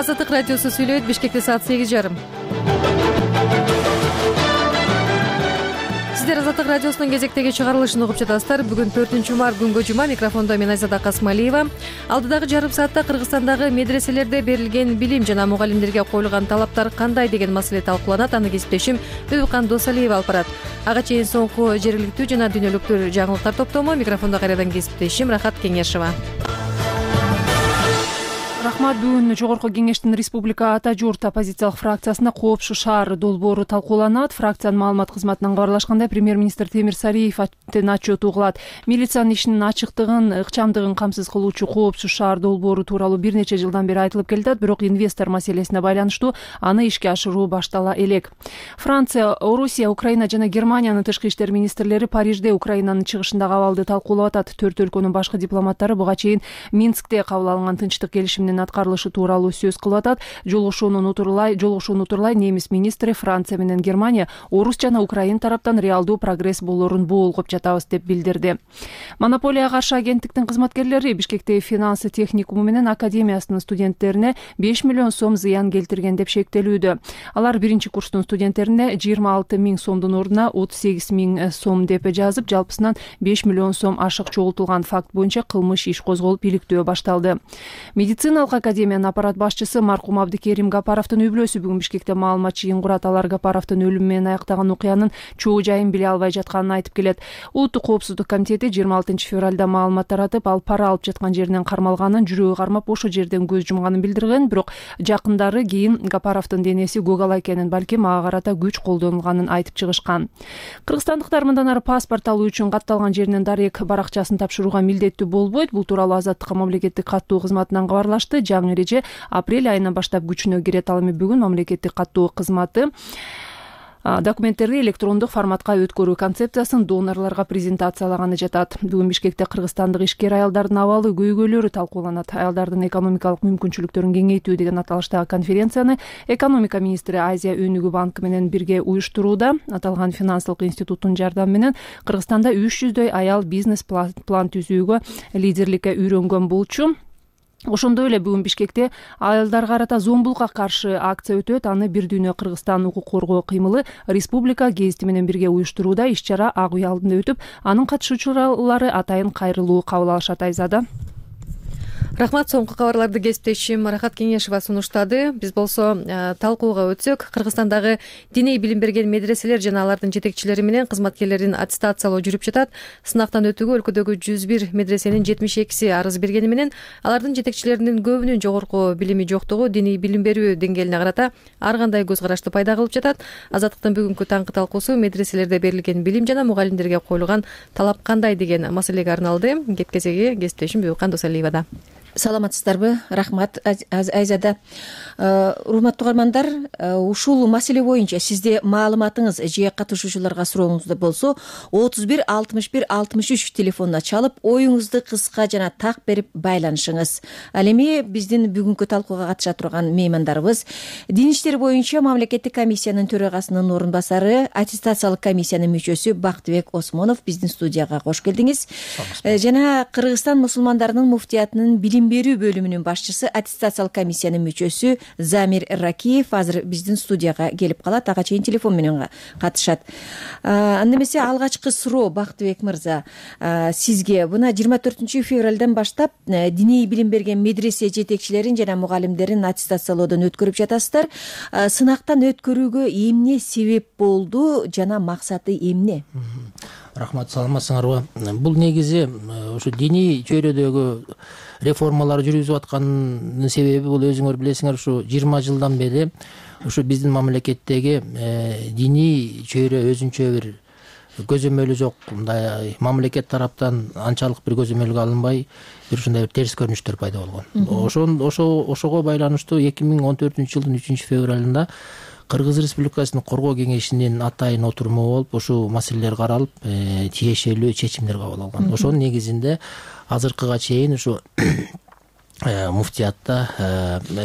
Азаттык радиосу сүйлөйт. Бишкекте саат 8:30. Сиздер Азаттык радиосунун кезектеги чыгарылышын угуп жатасыздар. Бүгүн 4-март күнгө жума. Микрофондо мен Айзада Касмалиева. Алдыдагы жарым саатта Кыргызстандагы медреселерде берилген билим жана мугалимдерге коюлган талаптар кандай деген маселе талкууланат. Аны кесиптешим Бүбүкан Досалиева алып барат. Ага чейин соңку жергиликтүү жана дүйнөлүк жаңылыктар топтому. Микрофондо кайрадан кесиптешим Рахат Кеңешова. Рахмат. Бүгүн Жогорку Кеңештин Республика Ата журт оппозициялык фракциясында Коопшу шаар долбоору талкууланат. Фракциянын маалымат кызматынан кабарлашкандай, премьер-министр Темир Сариев отчет угулат. Милициянын ишинин ачыктыгын, ыкчамдыгын камсыз кылуучу Коопшу шаар долбоору тууралуу бир нече жылдан бери айтылып келет, бирок инвестор маселесине байланыштуу аны ишке ашыруу баштала элек. Франция, Орусия, Украина жана Германиянын тышкы иштер министрлери Парижде Украинанын чыгышындагы абалды талкуулап атат. Төрт өлкөнүн башкы дипломаттары буга чейин Минскте кабыл алынган тынчтык келишиминин аткарылышы тууралуу сөз кылып атат. Жолугушууну утурлай немис министри Франция менен Германия орус жана украин тараптан реалдуу прогресс болоорун боолгоп жатабыз деп билдирди. Монополияга каршы агенттиктин кызматкерлери Бишкекте финанс техникуму менен академиясынын студенттерине 5 миллион сом зыян келтирген деп шектелүүдө. Алар биринчи курстун студенттерине 26 миң сомдун ордуна 38 миң сом деп жазып, жалпысынан 5 миллион сом ашык чогултулган факт боюнча кылмыш иш козголуп, иликтөө башталды. Медициналык академиянын аппарат башчысы маркум Абдыкерим Гапаровдун үй-бүлөсү бүгүн Бишкекте маалымат жыйын курат. Алар Гапаровдун өлүмү менен аяктаган окуянын чоо жайын биле албай жатканын айтып келет. Улуттук коопсуздук комитети 26 февралда маалымат таратып, ал пара алып жаткан жеринен кармалганын, жүрөгү кармап ошо жерден көз жумганын билдирген, бирок жакындары кийин Гапаровдун денеси көгала экенин, балким ага карата күч колдонулганын айтып чыгышкан. Кыргызстандыктар мындан ары паспорт алуу үчүн катталган жеринен дарек баракчасын тапшырууга милдеттүү болбойт. Бул тууралуу Азаттыкка мамлекеттик каттоо кызматынан кабарлашты. Жаңы эреже апрель айынан баштап күчүнө кирет. Ал эми бүгүн мамлекеттик каттоо кызматы документтерди электрондук форматка өткөрүү концепциясын донорлорго презентациялаганы жатат. Бүгүн Бишкекте кыргызстандык ишкер аялдардын абалы көйгөйлөрү талкууланат. Аялдардын экономикалык мүмкүнчүлүктөрүн кеңейтүү деген аталыштагы конференцияны экономика министри Азия өнүгүү банкы менен бирге уюштурууда. Аталган финансылык институттун жардамы менен Кыргызстанда 300дөй аял бизнес план түзүүгө лидерликке үйрөнгөн болчу. Ошондой эле бүгүн Бишкекте аялдарга карата зомбулукка каршы акция өтөт. Аны Бир дүйнө Кыргызстан укук коргоо кыймылы Республика гезити менен бирге уюштурууда. Иш-чара Ак үй алдында өтүп, анын катышуучулары атайын кайрылуу кабыл алышат. Айзада. Рахмат. Соңку кабарларды кесиптешим Рахат Кеңешова сунуштады. Биз болсо талкууга өтсөк, Кыргызстандагы диний билим берген медреселер жана алардын жетекчилери менен кызматкерлерин аттестациялоо жүрүп жатат. Сынактан өтүүгө өлкөдөгү 101 медресенин 72си арыз бергени менен алардын жетекчилеринин көбүнүн жогорку билими жоктугу диний билим берүү деңгээлине карата ар кандай көз карашты пайда кылып жатат. Азаттыктын бүгүнкү таңкы талкуусу медреселерде берилген билим жана мугалимдерге коюлган талап кандай деген маселеге арналды. Кезеги кесиптешим Бүбүкан Досалиевада. Саламатсыздарбы? Рахмат, Айзада. Урматтуу угармандар, ушул маселе боюнча сизде маалыматыңыз же катышуучуларга сурооңузда болсо 31 61 63 телефонуна чалып, оюңузду кыска жана так берип байланышыңыз. Ал эми биздин бүгүнкү талкууга катыша турган меймандарыбыз дин иштери боюнча мамлекеттик комиссиянын төрагасынын орун басары, аттестациялык комиссиянын мүчөсү Бактыбек Осмонов биздин студияга кош келдиңиз. Жана Кыргызстан мусулмандарынын муфтиятынын билим берүү бөлүмүнүн башчысы, аттестациялык комиссиянын мүчөсү Замир Ракиев азыр биздин студияга келип калат. Ага чейин телефон менен катышат. Анда эмесе алгачкы суроо Бактыбек мырза, сизге мына 24 февралдан баштап диний билим берген медресе жетекчилерин жана мугалимдерин аттестациялоодон өткөрүп жатасыздар. Сынактан өткөрүүгө эмне себеп болду жана максаты эмне? Рахмат, саламатсыңарбы? Бул негизи ушу диний чөйрөдөгү реформалар жүргүзүп атканын себеби бул өзүңөр билесиңер, ушу 20 жылдан бери ушу биздин мамлекеттеги диний чөйрө өзүнчө бир көзөмөлү жок. Мындай мамлекет тараптан анчалык бир көзөмөлгө алынбай, бир ушундай бир терс көрүнүштөр пайда болгон. Ошого байланыштуу 2014 жылдын 3 февралында Кыргыз Республикасынын Коргоо кеңешинин атайын отуруму болуп, ушул маселелер каралып, тиешелүү чечимдер кабыл алган. Ошонун негизинде азыркыга чейин ушу муфтиятта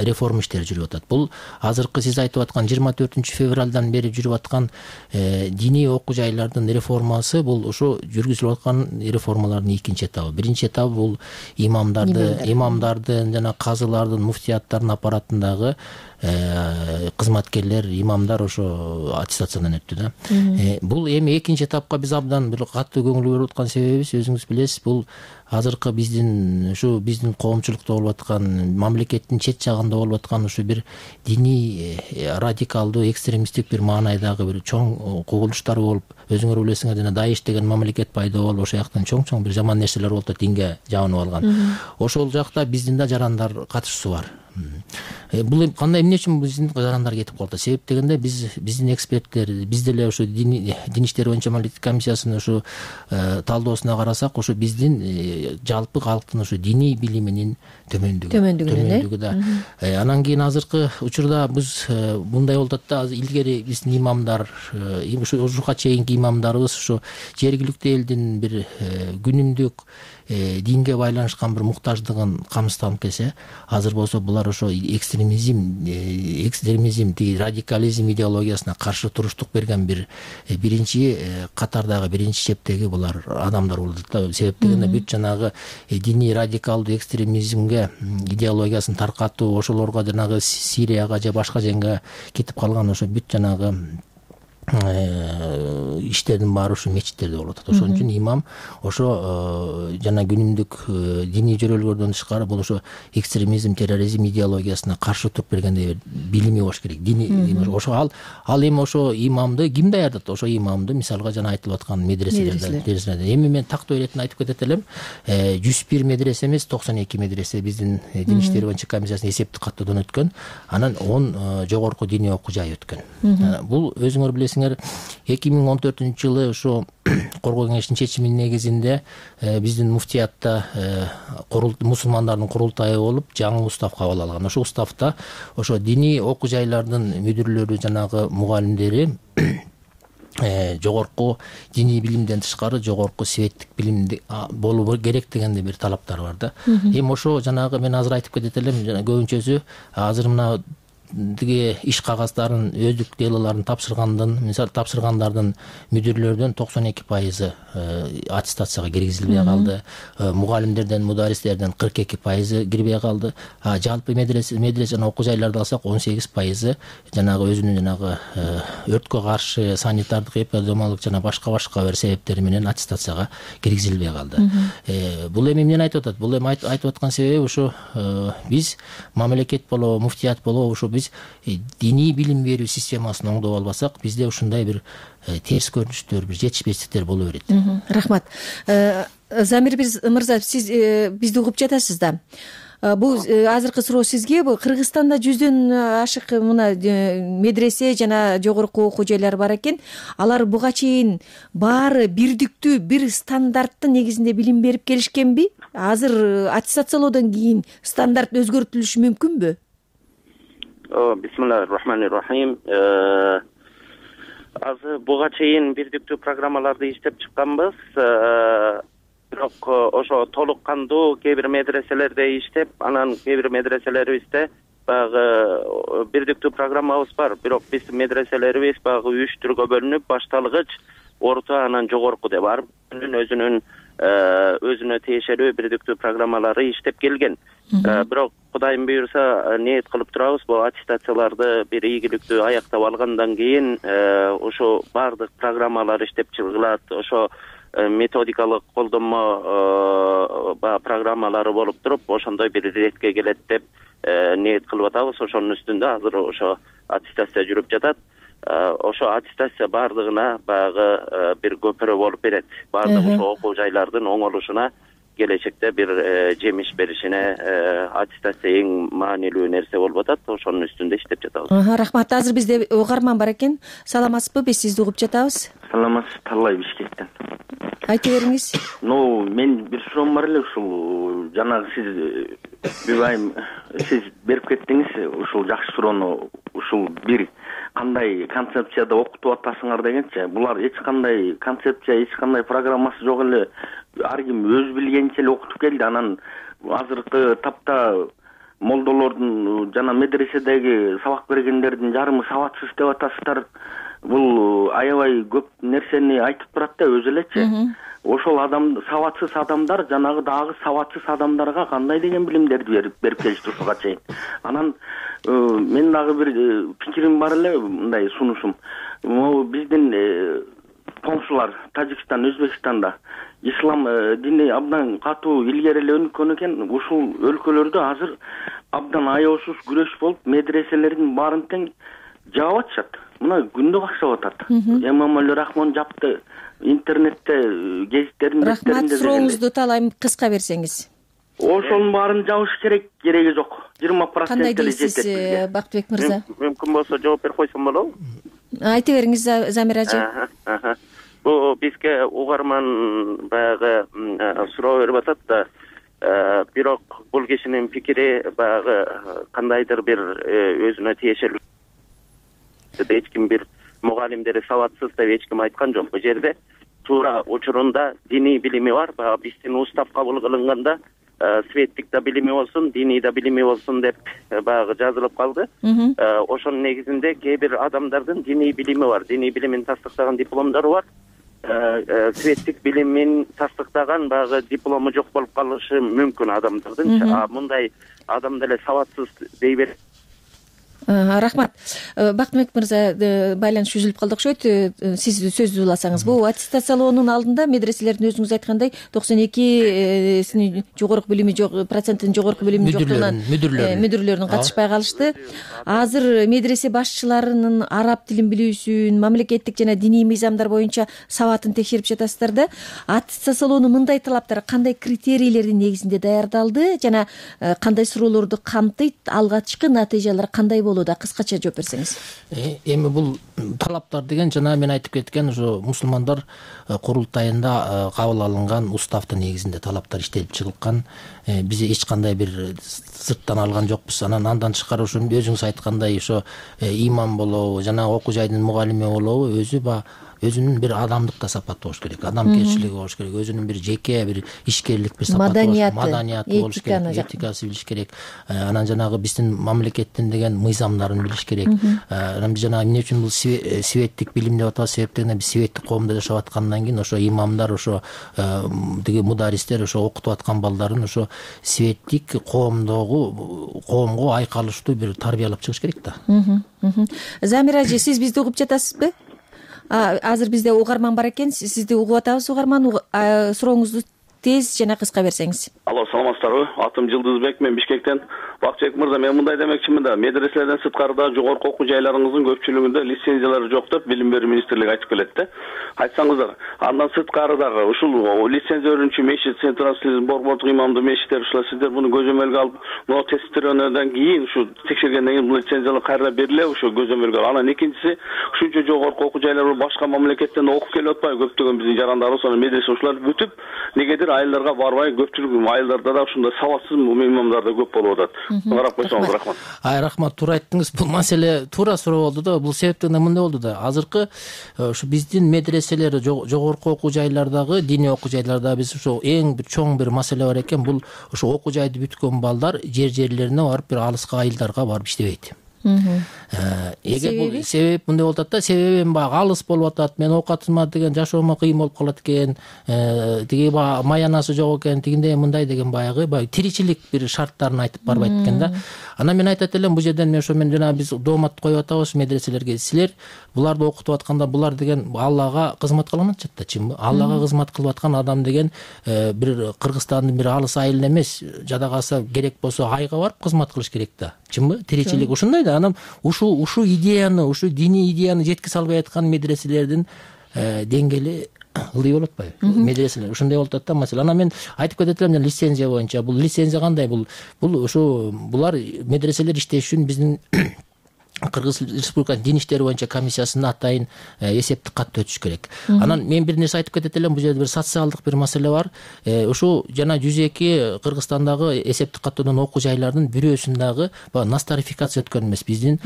реформа иштери жүрүп атат. Бул азыркы сиз айтып аткан 24-февралдан бери жүрүп аткан диний окуу жайлардын реформасы бул ошо жүргүзүлүп аткан реформалардын экинчи этабы. Биринчи этабы бул имамдардын жана казылардын, муфтияттардын аппаратындагы кызматкерлер, имамдар ошо аттестациядан өттү да. Бул эми экинчи этапка биз абдан бир катуу көңүл берип аткан себебибиз өзүңүз билесиз, бул азыркы биздин коомчулукта болуп аткан, мамлекеттин чет жагында болуп аткан ушу бир диний радикалдуу, экстремисттик бир маанайдагы бир чоң кубулуштар болуп, өзүңөр билесиңер, жана Даиш деген мамлекет пайда болуп, ошол жактан чоң бир жаман нерселер болуп атат, динге жабынып алган. Ошол жакта биздин да жарандар катышуусу бар. Бул эмне үчүн биздин жарандар кетип калды? Себеп дегенде биздин эксперттер, биз деле ошо дин иштери боюнча мамлекеттик комиссиясынын ошо талдоосуна карасак, ошо биздин жалпы калктын ошо диний билиминин төмөндүгү да. Анан кийин азыркы учурда биз мындай болуп атат да, илгери биздин имамдар, ушуга чейинки имамдарыбыз ошо жергиликтүү элдин бир күнүмдүк динге байланышкан бир муктаждыгын камсызданып келсе, азыр болсо булар ошо экстремизм, тиги радикализм идеологиясына каршы туруштук берген биринчи катардагы, биринчи чептеги булар адамдар болуп атат да. Себеп дегенде бүт жанагы диний радикалдуу экстремизмге идеологиясын таркатуу, ошолорго жанагы Сирияга же башка жерге кетип калган ошо бүт жанагы иштердин баары ушу мечиттерде болуп атат. Ошон үчүн имам ошо жана күнүмдүк диний жөрөлгөрдөн тышкары бул ошо экстремизм, терроризм идеологиясына каршы туруп бергендей билими болуш керек. Ошо ал эми ошо имамды ким даярдат? Ошо имамды мисалга жана айтылып аткан медреселерде. Эми мен тактоо иретин айтып кетет элем. 101 медресе эмес, 92 медресе биздин дин иштери боюнча комиссиясынын эсептик каттоодон өткөн. Анан 10 жогорку диний окуу жай өткөн. Бул өзүңөр билесиңер, 2014-жылы ошо коргоо кеңешинин чечиминин негизинде биздин муфтиятта мусулмандардын курултайы болуп, жаңы устав кабыл алган. Ошо уставта ошо диний окуу жайлардын мүдүрлөрү, жанагы мугалимдери жогорку диний билимден тышкары жогорку светтик билимди болуу керек дегенде бир талаптар бар да. Эми ошо жанагы мен азыр айтып кетет элем, көбүнчөсү азыр мына тиги иш кагаздарын, өздүк делолорун тапшыргандардын мүдүрлөрдөн 92% аттестацияга киргизилбей калды. Мугалимдерден, мударистерден 42% кирбей калды. Жалпы медресе жана окуу жайларды алсак 18% жанагы өзүнүн жанагы өрткө каршы санитардык, эпидемиологдук жана башка бир себептери менен аттестацияга киргизилбей калды. Бул эми эмнени айтып атат? Бул эми айтып аткан себеби ошо биз мамлекет болобу, муфтият болобу, ошо биз диний билим берүү системасын оңдоп албасак, бизде ушундай бир терс көрүнүштөр, бир жетишпестиктер боло берет. Рахмат. Замир мырза, сиз бизди угуп жатасыз да. Бул азыркы суроо сизге. Бул Кыргызстанда 100дөн ашык мына медресе жана жогорку окуу жайлар бар экен. Алар буга чейин баары бирдиктүү, бир стандарттын негизинде билим берип келишкенби? Азыр аттестациялоодон кийин стандарт өзгөртүлүшү мүмкүнбү? Бисмиллахир-рахманир-рахим. Азыр буга чейин бирдиктүү программаларды иштеп чыкканбыз. Бирок ошо толук кандуу кээ бир медреселерде иштеп, анан кээ бир медреселерибизде баягы бирдиктүү программабыз бар. Бирок биздин медреселерибиз баягы 3 түргө бөлүнүп, башталгыч, орто, анан жогорку деп ар өзүнө тиешелүү бирдиктүү программалары иштеп келген. Бирок Кудайым буйрса ниет кылып турабыз, бул аттестацияларды бир ийгиликтүү аяктап алгандан кийин ошо бардык программалар иштеп чыгылат. Ошо методикалык колдонмо программалары болуп туруп, ошондой бир иретке келет деп ниет кылып атабыз. Ошонун үстүндө азыр ошо аттестация жүрүп жатат. Ошо аттестация бардыгына баягы бир көпүрө болуп берет. Бардык ошо окуу жайлардын оңолушуна, келечекте бир жемиш беришине аттестация эң маанилүү нерсе болуп атат. Ошонун үстүндө иштеп жатабыз. Рахмат. Азыр бизде угарман бар экен. Саламатсызбы? Биз сизди угуп жатабыз. Саламатсыз, Таллай Бишкектен. Айта бериңиз. Мен бир суроом бар эле, ушул жанагы сиз Бүбайым, сиз берип кеттиңиз ушул жакшы суроону. Ушул бир кандай концепцияда окутуп атасыңар дегенчи, булар эч кандай концепция, эч кандай программасы жок эле. Ар ким өз билгенинче эле окутуп келди. Анан азыркы тапта молдолордун жана медреседеги сабак бергендердин жарымы сабатсыз деп атасыздар. Бул аябай көп нерсени айтып турат да өзү элечи. Ошол сабатсыз адамдар жанагы дагы сабатсыз адамдарга кандай деген билимдерди берип келишти ушуга чейин. Анан мен дагы бир пикирим бар эле, мындай сунушум. Могу биздин коңшулар Тажикстан, Өзбекстанда ислам дини абдан катуу илгери эле өнүккөн экен. Ушул өлкөлөрдө азыр абдан аеосуз күрөш болуп, медреселердин баарын тең жаап атышат. Мына күндө кашап атат. Эмомали Рахмон жапты. Интернетте, гезиттердин беттеринде. Рахмат, сурооңузду талайм кыска берсеңиз. Ошонун баарын жабыш керек, кереги жок. 20% Кандай эле дейсиз, жетет. Бактыбек мырза? Мүмкүн болсо жооп берип койсом болобу? Айта бериңиз, Замир ажы. Бул бизге угарман баягы суроо берип атат да, бирок бул кишинин пикири баягы кандайдыр бир өзүнө тиешелүү. Эч ким бир мугалимдери сабатсыз деп эч ким айткан жок. Бул жерде туура учурунда диний билими бар. Баягы биздин устав кабыл кылынганда светтик да билими болсун, диний да билими болсун деп баягы жазылып калды. Ошонун негизинде кээ бир адамдардын диний билими бар. Диний билимин тастыктаган дипломдору бар. Светтик билимин тастыктаган баягы диплому жок болуп калышы мүмкүн адамдардын. Мындай адам деле сабатсыз дей берет. Рахмат. Бактыбек мырза, байланыш үзүлүп калды окшойт. Сиз сөздү уласаңыз. Бул аттестациялоонун алдында медреселердин өзүңүз айткандай 92 жогорку билими жок, проценттин жогорку билими жок болгон мүдүрлөрүн катышпай калышты. Азыр медресе башчыларынын араб тилин билүүсүн, мамлекеттик жана диний мыйзамдар боюнча сабатын текшерип жатасыздар да. Аттестациялоонун мындай талаптары кандай критерийлердин негизинде даярдалды жана кандай суроолорду камтыйт, алгачкы натыйжалар кандай болду? Кыскача жооп берсеңиз. Эми бул талаптар деген жана мен айтып кеткен ошо мусулмандар курултайында кабыл алынган уставдын негизинде талаптар иштелип чыгылган. Биз эч кандай бир сырттан алган жокпуз. Андан тышкары ошо өзүңүз айткандай ошо имам болобу, жана окуу жайдын мугалими болобу, өзүнүн бир адамдык да сапаты болуш керек, адамгерчилиги болуш керек, өзүнүн бир жеке бир ишкерлик бир сапаты маданияты болуш керек, этикасы билиш керек. Анан жанагы биздин мамлекеттин деген мыйзамдарын билиш керек. Анан биз жанагы эмне үчүн бул светтик билим деп атабыз? Себеп дегенде биз светтик коомдо жашап аткандан кийин ошо имамдар, ошо тиги мударистер ошо окутуп аткан балдарын ошо светтик коомго айкалыштуу бир тарбиялап чыгыш керек да. Замир ажы, сиз бизди угуп жатасызбы? Азыр бизде угарман бар экен, сизди угуп атабыз угарман. Сурооңузду тез жана кыска берсеңиз. Алло, саламатсыздарбы? Атым Жылдызбек, мен Бишкектен. Бакчыбек мырза, мен мындай демекчимин да, медреселерден сырткарыда жогорку окуу жайларыңыздын көпчүлүгүндө лицензиялары жок деп Билим берүү министрлиги айтып келет да. Айтсаңыздар, андан сырткарыдагы ушул лицензия берүүчү мешит, централдык борбордук имамдуу мешиттер, ушулар сиздер муну көзөмөлгө алып, мына тестирөөнөн кийин ушу текшергенден кийин бул лицензиялар кайра берилеби, ошо көзөмөлгө алып. Анан экинчиси, ушунча жогорку окуу жайлар башка мамлекеттен окуп келип атпайбы? Көптөгөн биздин жарандарыбыз анан медресе ушулар бүтүп, негедир айылдарга барбай, көпчүлүк айылдарда да ушундай сабатсыз имамдар да көп болуп атат. Карап койсоңуз, рахмат. Рахмат, туура айттыңыз. Бул маселе туура суроо болду да. Бул себептен мындай болду да. Азыркы ушу биздин медреселер, жогорку окуу жайлардагы, диний окуу жайларда биз ушу эң бир чоң бир маселе бар экен. Бул ушу окуу жайды бүткөн балдар жерлерине барып, бир алыска айылдарга барып иштебейт. Эгер бул себеп мындай болуп атат да, себебим баягы алыс болуп атат, мен оокатыма деген жашоомо кыйын болуп калат экен, тиги маянасы жок экен, тигиндей мындай деген баягы тиричилик бир шарттарын айтып барбайт экен да. Анан мен айтат элем, бул жерден мен ошо жана биз доомат коюп атабыз медреселерге. Силер буларды окутуп атканда булар деген Аллага кызмат кылган атышат да, чынбы? Аллага кызмат кылып аткан адам деген бир Кыргызстандын бир алыс айылына эмес, жада калса керек болсо айга барып кызмат кылыш керек да. Чынбы? Тиричилик ушундай да. Анан ушу идеяны, ушу диний идеяны жеткизе албай аткан медреселердин деңгээли ылдый болуп атпайбы? Медреселер ушундай болуп атат да маселе. Анан мен айтып кетет элем, лицензия боюнча. Бул лицензия кандай? Бул ушу булар медреселер иштеш үчүн биздин Кыргыз Республикасынын дин иштери боюнча комиссиясына атайын эсептик катты өтүш керек. Анан мен бир нерсе айтып кетет элем, бул жерде бир социалдык бир маселе бар. Ушул жана 102 Кыргызстандагы эсептик каттоодон окуу жайлардын бирөөсүн дагы нострификация өткөн эмес, биздин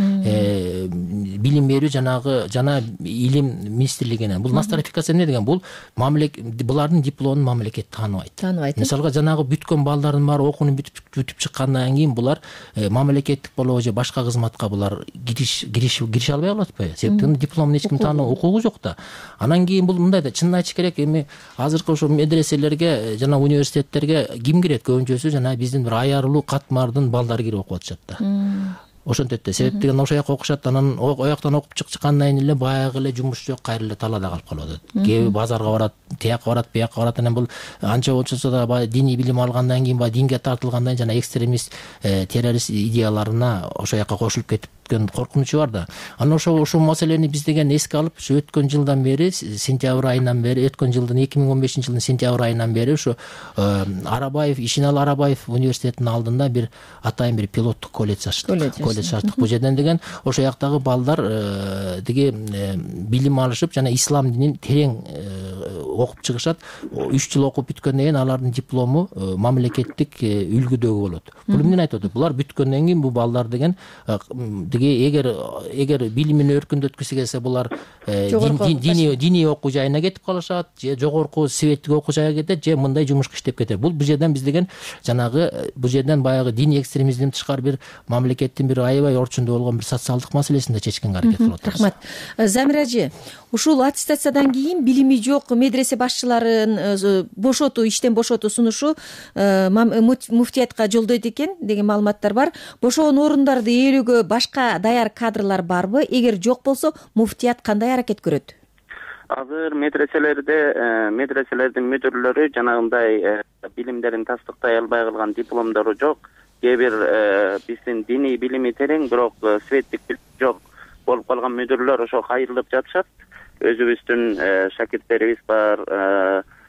билим берүү жана илим министрлигинен. Бул нострификация эмне деген? Бул булардын дипломун мамлекет тааныбайт. Мисалга жанагы бүткөн балдардын баары окууну бүтүп чыккандан кийин булар мамлекеттик болобу же башка кызматка булар кирише албай калат атпайбы? Себептен дипломун эч ким таануу укугу жок да. Анан кийин бул мындай да, чынын айтыш керек, эми азыркы ошо медреселерге жана университеттерге ким кирет? Көбүнчөсү жана биздин бир аярылуу катмардын балдары кирип окуп атышат да. Ошентет да. Себеп деген ошол жака окушат, анан ояктан окуп чыккандан кийин эле баягы эле жумуш жок, кайра эле талаада калып калып атат. Кээ базарга барат, тияка барат, буяка барат. Анан бул анча болчосо да баягы диний билим алгандан кийин, баягы динге тартылгандан кийин жана экстремист, террорист идеяларына ошол жака кошулуп кетип коркунучу бар да. Анан ошол маселени биз деген эске алып, ушу өткөн жылдан бери, сентябрь айынан бери, өткөн жылдын 2015-жылдын сентябрь айынан бери ушу Арабаев, Ишеналы Арабаев университетинин алдында бир атайын бир пилоттук колледж ачтык. Бул жерден деген ошол жактагы балдар деге билим алышып, жана ислам динин терең окуп чыгышат. 3 жыл окуп бүткөндөн кийин алардын диплому мамлекеттик үлгүдөгү болот. Бул эмнени айтып атат? Булар бүткөндөн кийин бул балдар деген эгер билимин өркүндөткүсү келсе, булар диний окуу жайына кетип калышат, же жогорку светтик окуу жайга кетет, же мындай жумушка иштеп кетет. Бул жерден биз деген жанагы бул жерден баягы диний экстремизмден тышкары бир мамлекеттин бир аябай орчунда болгон бир социалдык маселесин да чечкенге аракет кылып атабыз. Рахмат. Замира эже, ушул аттестациядан кийин билими жок медресе башчыларын бошотуу, иштен бошотуу сунушу муфтиятка жолдойт экен деген маалыматтар бар. Бошогон орундарды ээлөөгө башка даяр кадрлар барбы? Эгер жок болсо, муфтият кандай аракет көрөт? Азыр медреселердин мүдүрлөрү жанагындай билимдерин тастыктай албай калган, дипломдору жок, кээ бир биздин диний билими терең, бирок светтик жок болуп калган мүдүрлөр ошо кайрылып жатышат. Өзүбүздүн шакирттерибиз бар,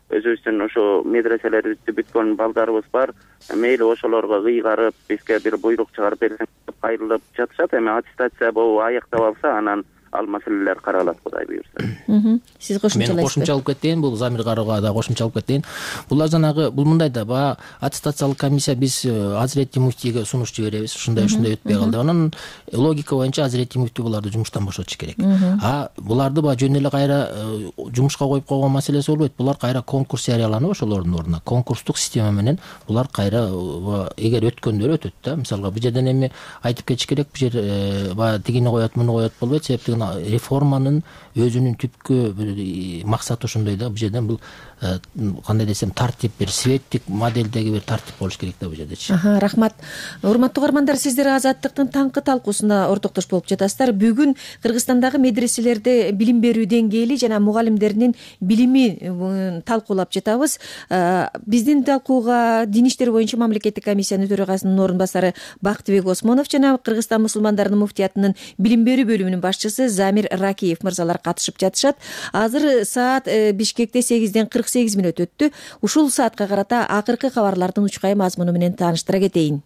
өзүбүздүн ошо медреселерибизди бүткөн балдарыбыз бар. Мейли ошолорго кыйгарып, бизге бир буйрук чыгарып берсең деп кайрылып жатышат. Эми аттестация болуп аяктап алса, анан ал маселелер каралат, Кудай буйрса. Сиз кошумчалайсызбы? Мен кошумча алып кетейин, бул Замир Карыга да кошумча алып кетейин. Булар жанагы, бул мындай да, баягы аттестациялык комиссия биз Азиретти муфтийге сунуш жиберебиз, ушундай өтпөй калды. Анан логика боюнча Азиретти муфтий буларды жумуштан бошотуш керек. Буларды баягы жөн эле кайра жумушка коюп койгон маселеси болбойт. Булар кайра конкурс жарыяланып, ошолордун ордуна конкурстук система менен булар кайра эгер өткөндөр өтөт да. Мисалга бул жерден эми айтып кетиш керек, бул жер баягы тигини коет, муну коет болбойт. Себептен реформанын өзүнүн түпкү максаты ошондой да. Бул жерден бул кандай десем, тартип, бир светтик моделдеги бир тартип болуш керек да бул жердечи. Рахмат. Урматтуу угармандар, сиздер Азаттыктын таңкы талкуусуна ортоктош болуп жатасыздар. Бүгүн Кыргызстандагы медреселерде билим берүү деңгээли жана мугалимдердин билими талкуулап жатабыз. Биздин талкууга Дин иштери боюнча мамлекеттик комиссиянын төрагасынын орун басары Бактыбек Осмонов жана Кыргызстан мусулмандарынын муфтиятынын билим берүү бөлүмүнүн башчысы Замир Ракиев мырзалар катышып жатышат. Азыр саат Бишкекте 8:48 өттү. Ушул саатка карата акыркы кабарлардын учкай мазмуну менен тааныштыра кетейин.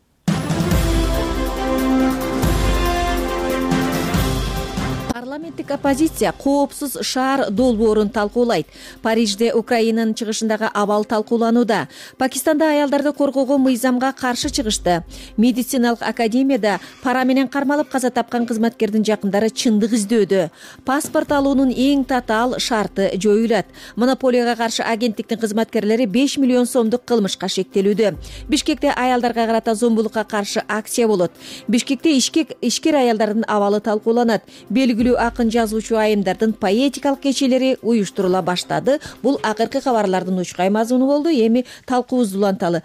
Парламенттик оппозиция коопсуз шаар долбоорун талкуулайт. Парижде Украинанын чыгышындагы абал талкууланууда. Пакистанда аялдарды коргоого мыйзамга каршы чыгышты. Медициналык академияда пара менен кармалып каза тапкан кызматкердин жакындары чындык издөдө. Паспорт алуунун эң татаал шарты жоюлат. Монополияга каршы агенттиктин кызматкерлери 5 миллион сомдук кылмышка шектелүүдө. Бишкекте аялдарга карата зомбулукка каршы акция болот. Бишкекте ишкер аялдардын абалы талкууланат. Белгилүү акын жазуучу айымдардын поэтикалык кечелери уюштурула баштады. Бул акыркы кабарлардын учкай мазмуну болду. Эми талкуубузду уланталы.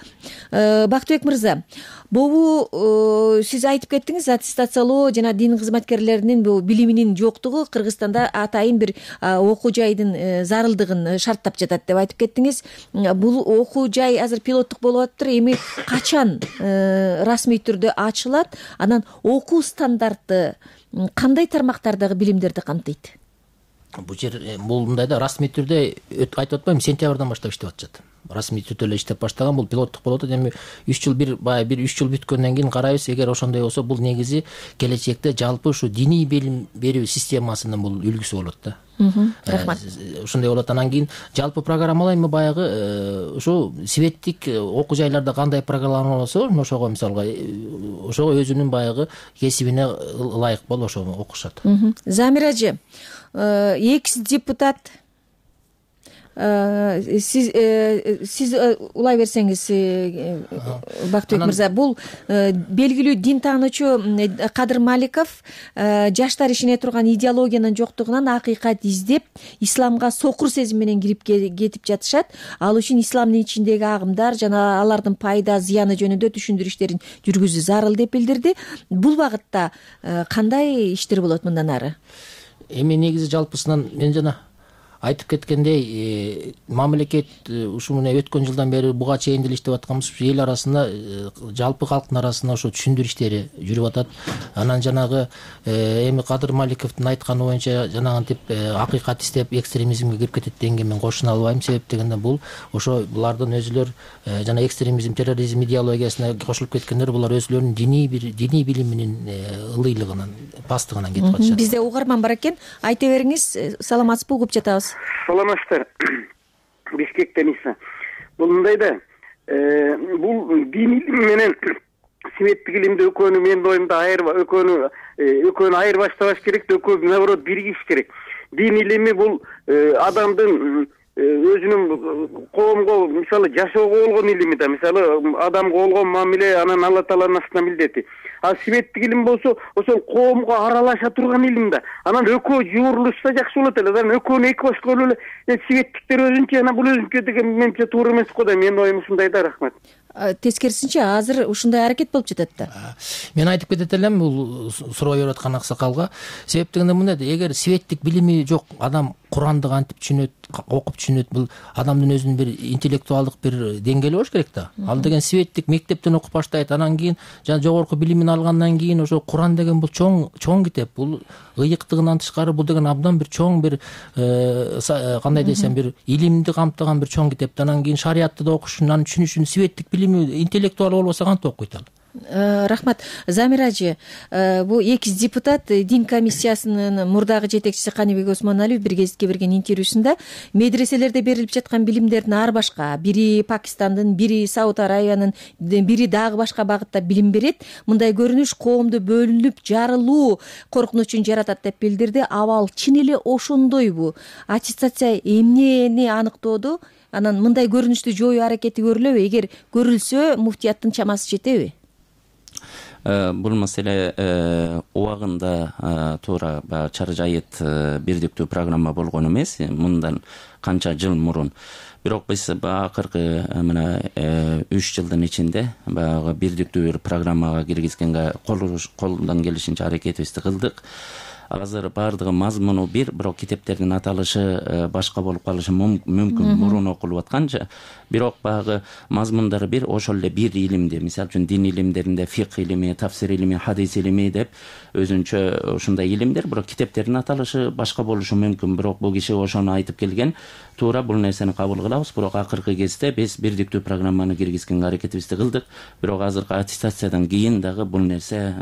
Бактыбек мырза, бул сиз айтып кеттиңиз, аттестациялоо жана дин кызматкерлеринин бул билиминин жоктугу Кыргызстанда атайын бир окуу жайдын зарылдыгын шарттап жатат деп айтып кеттиңиз. Бул окуу жай азыр пилоттук болуп атыптыр. Эми качан расмий түрдө ачылат? Анан окуу стандарты кандай тармактардагы билимдерди камтыйт? бул жер бул мындай да расмий түрдө айтып атпаймынбы, сентябрдан баштап иштеп атышат. Расмий түрдө эле иштеп баштаган, бул пилоттук болуп атат. Эми 3 жыл бир 3 жыл бүткөндөн кийин карайбыз. Эгер ошондой болсо, бул негизи келечекте жалпы ушу диний билим берүү системасынын бул үлгүсү болот да. Рахмат. Ушундай болот. Анан кийин жалпы программалар эми баягы ушу светтик окуу жайларда кандай программа болсо, ошого мисалга ошого өзүнүн баягы кесибине ылайык болуп ошо окушат. Замира эже, экс депутат, сиз улай берсеңиз, Бактыбек мырза, бул белгилүү дин таануучу Кадыр Маликов жаштар ишине турган идеологиянын жоктугунан акыйкат издеп, исламга сокур сезим менен кирип кетип жатышат. Ал үчүн исламдын ичиндеги агымдар жана алардын пайда зыяны жөнүндө түшүндүрүштерин жүргүзүү зарыл деп билдирди. Бул багытта кандай иштер болот мындан ары? Эми негизи жалпысынан мен жана айтып кеткендей, мамлекет ушу мына өткөн жылдан бери буга чейин деле иштеп атканбыз. Эл арасында, жалпы калктын арасында ошо түшүндүрүү иштери жүрүп атат. Анан жанагы эми Кадыр Маликовдун айтканы боюнча жанагынтип акыйкат издеп экстремизмге кирип кетет дегенге мен кошуна албайм. Себеп дегенде бул ошо булардын өзүлөр жана экстремизм, терроризм идеологиясына кошулуп кеткендер, булар өзүлөрүнүн диний билиминин ылыйлыгынан, пастыгынан кетип атышат. Бизде угарман бар экен. Айта бериңиз. Саламатсызбы, угуп жатабыз. Саламатсыздар. Бишкектен Иса. Бул мындай да, бул дин илими менен светтик илимди экөөнү менин оюмда экөөнү айырбаштабаш керек, экөө наоборот биригиш керек. Дин илими бул адамдын өзүнүн коомго, мисалы, жашоого болгон илими да, мисалы, адамга болгон мамиле анан Алла Тааланын астына милдети. А светтик илим болсо, ошол коомго аралаша турган илим да. Анан экөө жуурулушса жакшы болот эле. Анан экөөнү эки баш көрүп эле светтиктер өзүнчө, анан бул өзүнчө деген менимче туура эмес го да. Менин оюм ушундай да. Рахмат. Тескерисинче азыр ушундай аракет болуп жатат да. Мен айтып кетет элем бул суроо берип аткан аксакалга. Себеп дегенде мындай да, эгер светтик билими жок, адам Куранды кантип түшүнөт, окуп түшүнөт, бул адамдын өзүнүн бир интеллектуалдык бир деңгээли болуш керек да. Ал деген светтик мектептен окуп баштайт, анан кийин жана жогорку билимин алгандан кийин ошо Куран деген бул чоң китеп, бул ыйыктыгынан тышкары бул деген абдан бир чоң бир кандай десем бир илимди камтыган бир чоң китеп. Анан кийин шариятты да окушун, аны түшүнүшүн светтик билими, интеллектуал болбосо кантип окуйт ал? Рахмат. Замира эже, бул экс депутат дин комиссиясынын мурдагы жетекчиси Каныбек Осмоналиев бир гезитке берген интервьюсунда медреселерде берилип жаткан билимдердин ар башка, бири Пакистандын, бири Сауд Аравиянын, бири дагы башка багытта билим берет. Мындай көрүнүш коомду бөлүнүп жарылуу коркунучун жаратат деп билдирди. Абал чын эле ошондойбу? Аттестация эмнени аныктоодо? Анан мындай көрүнүштү жоюу аракети көрүлөбү? Эгер көрүлсө, муфтияттын чамасы жетеби? Бул маселе убагында туура Чары Жайыт бирдиктүү программа болгон эмес, мындан канча жыл мурун. Бирок биз акыркы мына 3 жылдын ичинде баягы бирдиктүү бир программага киргизгенге колдон келишинче аракетибизди кылдык. Азыр баардыгы мазмуну бир, бирок китептердин аталышы башка болуп калышы мүмкүн, мурун окулуп атканча. Бирок баягы мазмундары бир, ошол эле бир илимди, мисалы үчүн дин илимдеринде фикх илими, тафсир илими, хадис илими деп өзүнчө ушундай илимдер, бирок китептердин аталышы башка болушу мүмкүн. Бирок бул киши ошону айтып келген, туура бул нерсени кабыл кылабыз. Бирок акыркы кезде биз бирдиктүү программаны киргизгенге аракетибизди кылдык. Бирок азыркы аттестациядан кийин дагы бул нерсе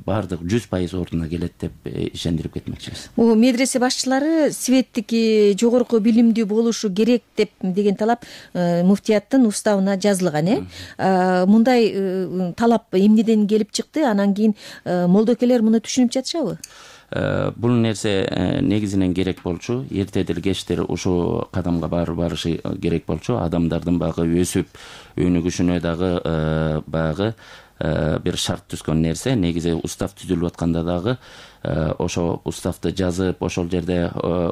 баардык 100% ордуна келет деп ишендирип кетмекчибиз. Медресе башчылары светтик жогорку билимдүү болушу керек деген талап муфтияттын уставына жазылган. Мындай талап эмнеден келип чыкты? Анан кийин молдокелер муну түшүнүп жатышабы? Бул нерсе негизинен керек болчу. Эртедир кечтир ушу кадамга барышы керек болчу. Адамдардын багы өсүп өнүгүшүнө дагы багы бир шарт түзгөн нерсе. Негизи устав түзүлүп атканда дагы ошо уставды жазып, ошол жерде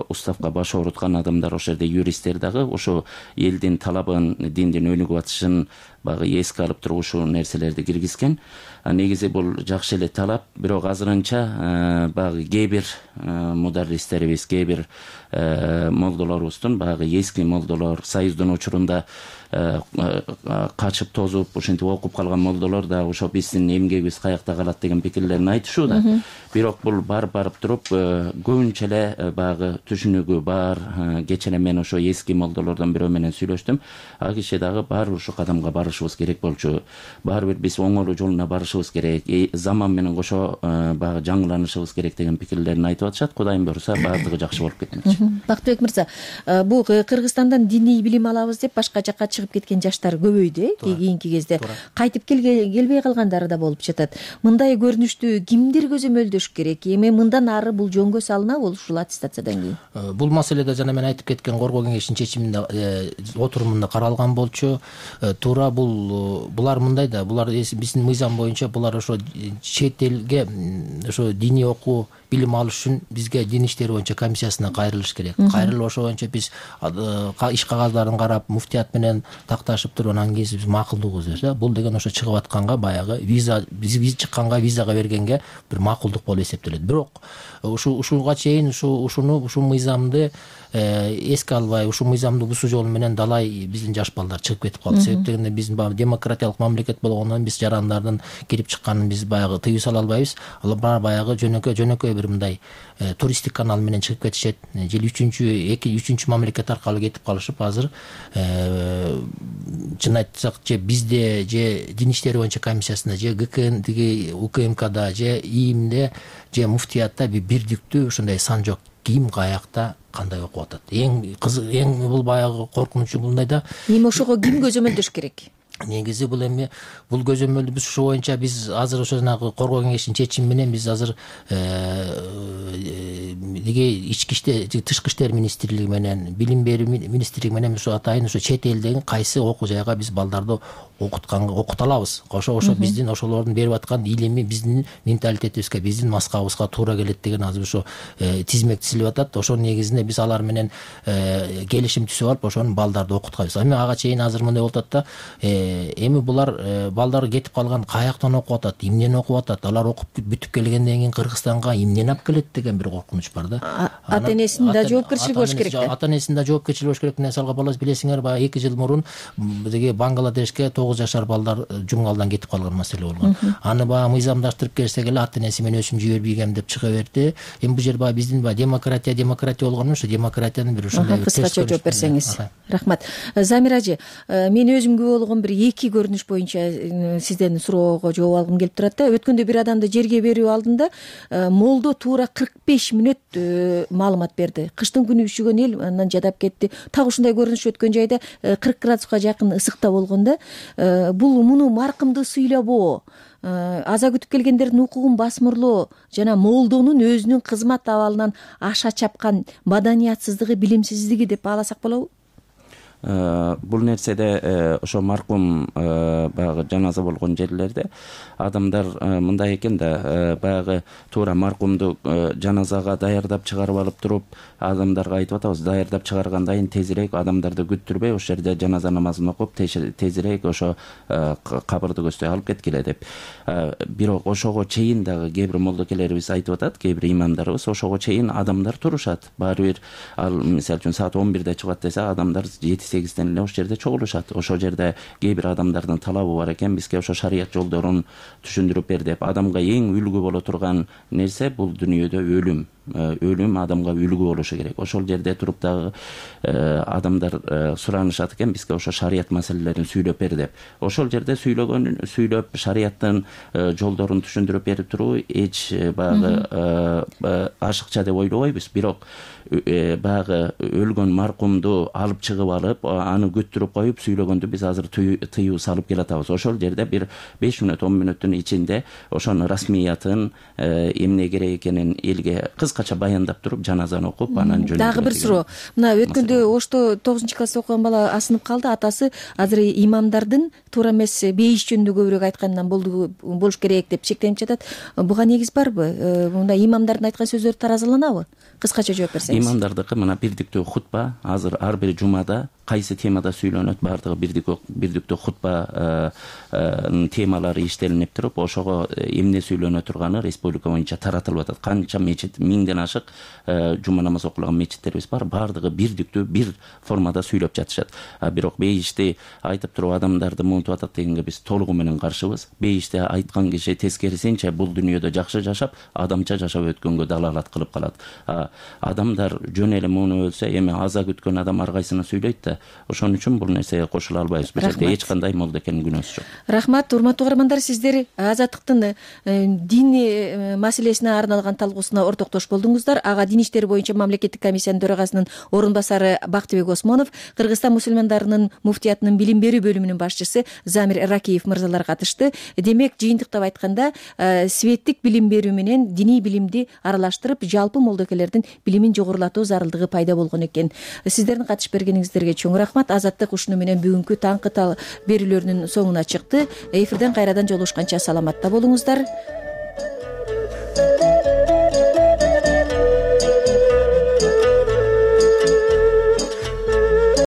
уставга баш ооруткан адамдар, ошол жерде юристтер дагы ошо элдин талабын, диндин өнүгүп атышын багы эске алып туруп ушул нерселерди киргизген. Негизи бул жакшы эле талап, бирок азырынча багы кээ бир мударристерибиз, кээ бир молдолорубуздун, багы эски молдолор, Союздун учурунда качып тозуп ушинтип окуп калган молдолор да ошо биздин эмгегибиз каякта калат деген пикирлерин айтышууда. Бирок бул барып туруп көбүнчө эле баягы түшүнүгү бар. Кечээ эле мен ошо эски молдолордон бирөө менен сүйлөштүм. А киши дагы баары ушу кадамга барышыбыз керек болчу. Баары бир биз оңолуу жолуна барышыбыз керек. Заман менен кошо баягы жаңыланышыбыз керек деген пикирлерин айтып атышат. Кудайым буюрса баардыгы жакшы болуп кетмекчи. Бактыбек мырза, бул Кыргызстандан диний билим алабыз деп башка жакка чыгып кеткен жаштар көбөйдү кийинки кезде. Кайтып келбей калгандары да болуп жатат. Мындай көрүнүштү кимдер көзөмөлдөш керек? Эми мындан ары бул жөнгө салынабы ушул аттестациядан кийин? Бул маселеде жана мен айтып кеткен коргоо кеңешинин чечиминде отурумунда каралган болчу. Туура булар мындай да, булар биздин мыйзам боюнча булар ошо чет элге ошо диний окуу билим алыш үчүн бизге дин иштери боюнча комиссиясына кайрылыш керек. Кайрылып ошо боюнча биз иш кагаздарын карап, муфтият менен такташып туруп анан кийин биз макулдугубуз берсе, бул деген ошо чыгып атканга баягы виза биз чыкканга визага бергенге бир макулдук болуп эсептелет. Бирок ушуга чейин ушу мыйзамды эске албай, ушу мыйзамды бузуу жолу менен далай биздин жаш балдар чыгып кетип калды. Себеп дегенде биздин демократиялык мамлекет болгондон биз жарандардын кирип чыкканын биз баягы тыюу сала албайбыз. Алар баягы жөнөкөй бир мындай туристтик канал менен чыгып кетишет. Же үчүнчү мамлекет аркылуу кетип калышып, азыр чын айтсак, же бизде, же дин иштери боюнча комиссиясында, же ГКНдеги УКМКда, же ИИМде, же муфтиятта бирдиктүү ушундай сан жок. Ким каякта кандай окуп атат. Эң бул баягы коркунучу мындай да. Эми ошого ким көзөмөлдөш керек? Негизи бул көзөмөлдү биз ушу боюнча биз азыр ошо жанагы коргоо кеңешинин чечими менен биз азыр тышкы иштер министрлиги менен, билим берүү министрлиги менен ушу атайын ушу чет элдеги кайсы окуу жайга биз балдарды окута алабыз. Ошо биздин ошолордун берип аткан илими биздин менталитетибизге, биздин маскабыбызга туура келет деген азыр ошо тизмек тизилип атат. Ошонун негизинде биз алар менен келишим түзүп алып, ошонун балдарды окутканбыз. Эми ага чейин азыр мындай болуп атат да, эми булар балдар кетип калган, каяктан окуп атат, эмнени окуп атат, алар окуп бүтүп келгенден кийин Кыргызстанга эмнени алып келет деген бир коркунуч бар да. Ата-энесинин да жоопкерчилиги болуш керек да. Ата-энесинин да жоопкерчилиги болуш керек. Мисалга балас билесиңер, баягы 2 жыл мурун деги Бангладешке 9 жашар балдар жумгалдан кетип калган маселе болгон. Аны баягы мыйзамдаштырып келсек эле ата-энеси мен өзүм жибербейгем деп чыга берди. Эми бул жер баягы биздин демократия болгону ушу демократиянын бир ушундай кыскача жооп берсеңиз. Рахмат. Замира ажы, мен өзүмгө болгон бир 2 көрүнүш боюнча сизден суроого жооп алгым келип турат да. Өткөндө бир адамды жерге берүү алдында молдо туура 45 мүнөт маалымат берди. Кыштын күнү үшүгөн эл андан жадап кетти. Так ушундай көрүнүш өткөн жайда 40 градуска жакын ысыкта болгон да. Бул муну маркымды сыйлабоо, аза күтүп келгендердин укугун басмырлоо жана молдонун өзүнүн кызмат абалынан аша чапкан маданиятсыздыгы, билимсиздиги деп бааласак болобу? Бул нерседе ошо маркум баягы жаназа болгон жерлерде адамдар мындай экен да, баягы туура маркумду жаназага даярдап чыгарып алып туруп, адамдарга айтып атабыз, даярдап чыгаргандан кийин тезирээк адамдарды күттүрбөй ошол жерде жаназа намазын окуп тезирээк ошо кабырды көздөй алып кеткиле деп. Бирок ошого чейин дагы кээ бир молдокелерибиз айтып атат, кээ бир имамдарыбыз, ошого чейин адамдар турушат. Баары бир мисалы үчүн саат 11де чыгат десе, адамдар 7-8ден эле ошол жерде чогулушат. Ошол жерде кээ бир адамдардын талабы бар экен, бизге ошо шарият жолдорун түшүндүрүп бер деп. Адамга эң үлгү боло турган нерсе бул дүйнөдө өлүм. Өлүм адамга үлгү болушу керек. Ошол жерде туруп дагы адамдар суранышат экен, бизге ошо шарият маселелерин сүйлөп бер деп. Ошол жерде сүйлөп шариаттын жолдорун түшүндүрүп берип туруу эч баягы ашыкча деп ойлобойбуз. Бирок баягы өлгөн маркумду алып чыгып алып, аны күттүрүп коюп сүйлөгөндү биз азыр тыюу салып келатабыз. Ошол жерде бир 5 мүнөт 10 мүнөттүн ичинде ошонун расмиятын, эмне керек экенин элге кыскача баяндап туруп, жаназаны окуп, анан жөнөтүп. Дагы бир суроо. Мына өткөндө Ошто 9-класста окуган бала асынып калды. Атасы азыр имамдардын туура эмес бейиш жөнүндө көбүрөөк айткандан болуш керек деп чектенип жатат. Буга негиз барбы? Мындай имамдардын айткан сөздөрү таразаланабы? Кыскача жооп берсеңиз. Имамдардыкы мына бирдиктүү хутба азыр ар бир жумада кайсы темада сүйлөнөт, баардыгы бирдиктүү хутба темалары иштелинип туруп, ошого эмне сүйлөнө турганы республика боюнча таратылып атат. Канча мечит, 1000ден ашык жума намаз окулган мечиттерибиз бар, баардыгы бирдиктүү бир формада сүйлөп жатышат. Бирок бейишти айтып туруп адамдарды муунтуп атат дегенге биз толугу менен каршыбыз. Бейишти айткан киши тескерисинче бул дүйнөдө жакшы жашап, адамча жашап өткөнгө далалат кылып калат. Адамдар жөн эле муну өлсө, эми аза күткөн адам ар кайсына сүйлөйт да. Ошон үчүн бул нерсеге кошула албайбыз. Бул жерде эч кандай молдекенин күнөөсү жок. Рахмат, урматтуу угармандар, сиздер Азаттыктын дин маселесине арналган талкуусуна ортоктош болдуңуздар. Ага Дин иштери боюнча мамлекеттик комиссиянын төрагасынын орун басары Бактыбек Осмонов, Кыргызстан мусулмандарынын муфтиятынын билим берүү бөлүмүнүн башчысы Замир Ракиев мырзалар катышты. Демек, жыйынтыктап айтканда, светтик билим берүү менен диний билимди аралаштырып, жалпы молдокелердин билимин жогорулатуу зарылдыгы пайда болгон экен. Сиздердин катышып бергениңиздерге чоң рахмат. Азаттык ушуну менен бүгүнкү таңкы берүүлөрүнүн соңуна чыкты. Эфирден кайрадан жолугушканча саламатта болуңуздар.